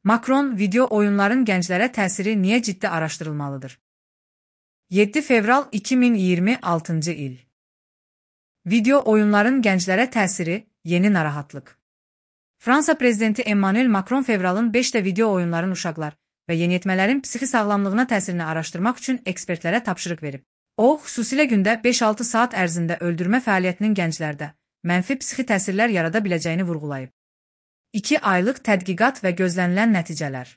Macron, video oyunların gənclərə təsiri niyə ciddi araşdırılmalıdır? 7 fevral 2026 il. Video oyunların gənclərə təsiri, yeni narahatlıq. Fransa prezidenti Emmanuel Macron fevralın 5-də video oyunların uşaqlar və yeniyetmələrin psixi sağlamlığına təsirini araşdırmaq üçün ekspertlərə tapşırıq verib. O, xüsusilə gündə 5-6 saat ərzində öldürmə fəaliyyətinin gənclərdə mənfi psixi təsirlər yarada biləcəyini vurğulayıb. 2 aylıq tədqiqat və gözlənilən nəticələr.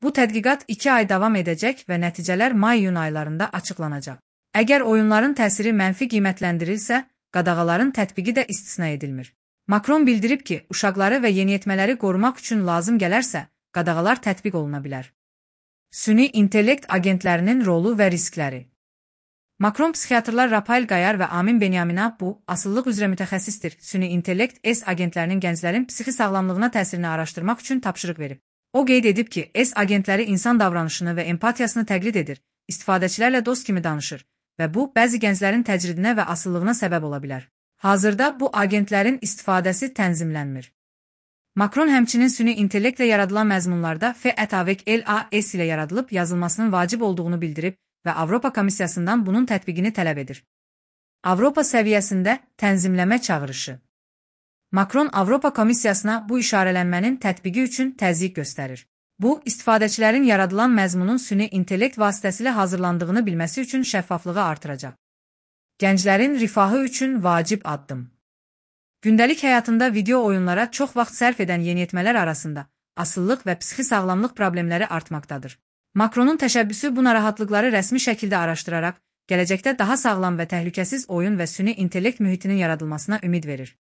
Bu tədqiqat 2 ay davam edəcək və nəticələr may-iyun aylarında açıqlanacaq. Əgər oyunların təsiri mənfi qiymətləndirilsə, qadağaların tətbiqi də istisna edilmir. Macron bildirib ki, uşaqları və yeniyetmələri qorumaq üçün lazım gələrsə, qadağalar tətbiq oluna bilər. Süni intellekt agentlərinin rolu və riskləri. Macron psixiatrlar Rafael Qayar və Amin Benyamin'a bu, asıllıq üzrə mütəxəssisdir, süni intellekt S agentlərinin gənclərin psixi sağlamlığına təsirini araşdırmaq üçün tapşırıq verib. O qeyd edib ki, S agentləri insan davranışını və empatiyasını təqlid edir, istifadəçilərlə dost kimi danışır və bu, bəzi gənclərin təcridinə və asıllığına səbəb ola bilər. Hazırda bu agentlərin istifadəsi tənzimlənmir. Macron həmçinin süni intellektlə yaradılan məzmunlarda FET-AVEC-LAS ilə yaradılıb yazılmasının vacib olduğunu bildirib və Avropa Komissiyasından bunun tətbiqini tələb edir. Avropa səviyyəsində tənzimləmə çağırışı. Macron Avropa Komissiyasına bu işarələnmənin tətbiqi üçün təzyiq göstərir. Bu, istifadəçilərin yaradılan məzmunun süni intellekt vasitəsilə hazırlandığını bilməsi üçün şəffaflığı artıracaq. Gənclərin rifahı üçün vacib addım. Gündəlik həyatında video oyunlara çox vaxt sərf edən yeniyetmələr arasında asıllıq və psixi sağlamlıq problemləri artmaqdadır. Macronun təşəbbüsü bu narahatlıqları rəsmi şəkildə araşdıraraq, gələcəkdə daha sağlam və təhlükəsiz oyun və süni intellekt mühitinin yaradılmasına ümid verir.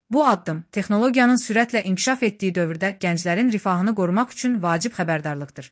Bu addım, texnologiyanın sürətlə inkişaf etdiyi dövrdə gənclərin rifahını qorumaq üçün vacib xəbərdarlıqdır.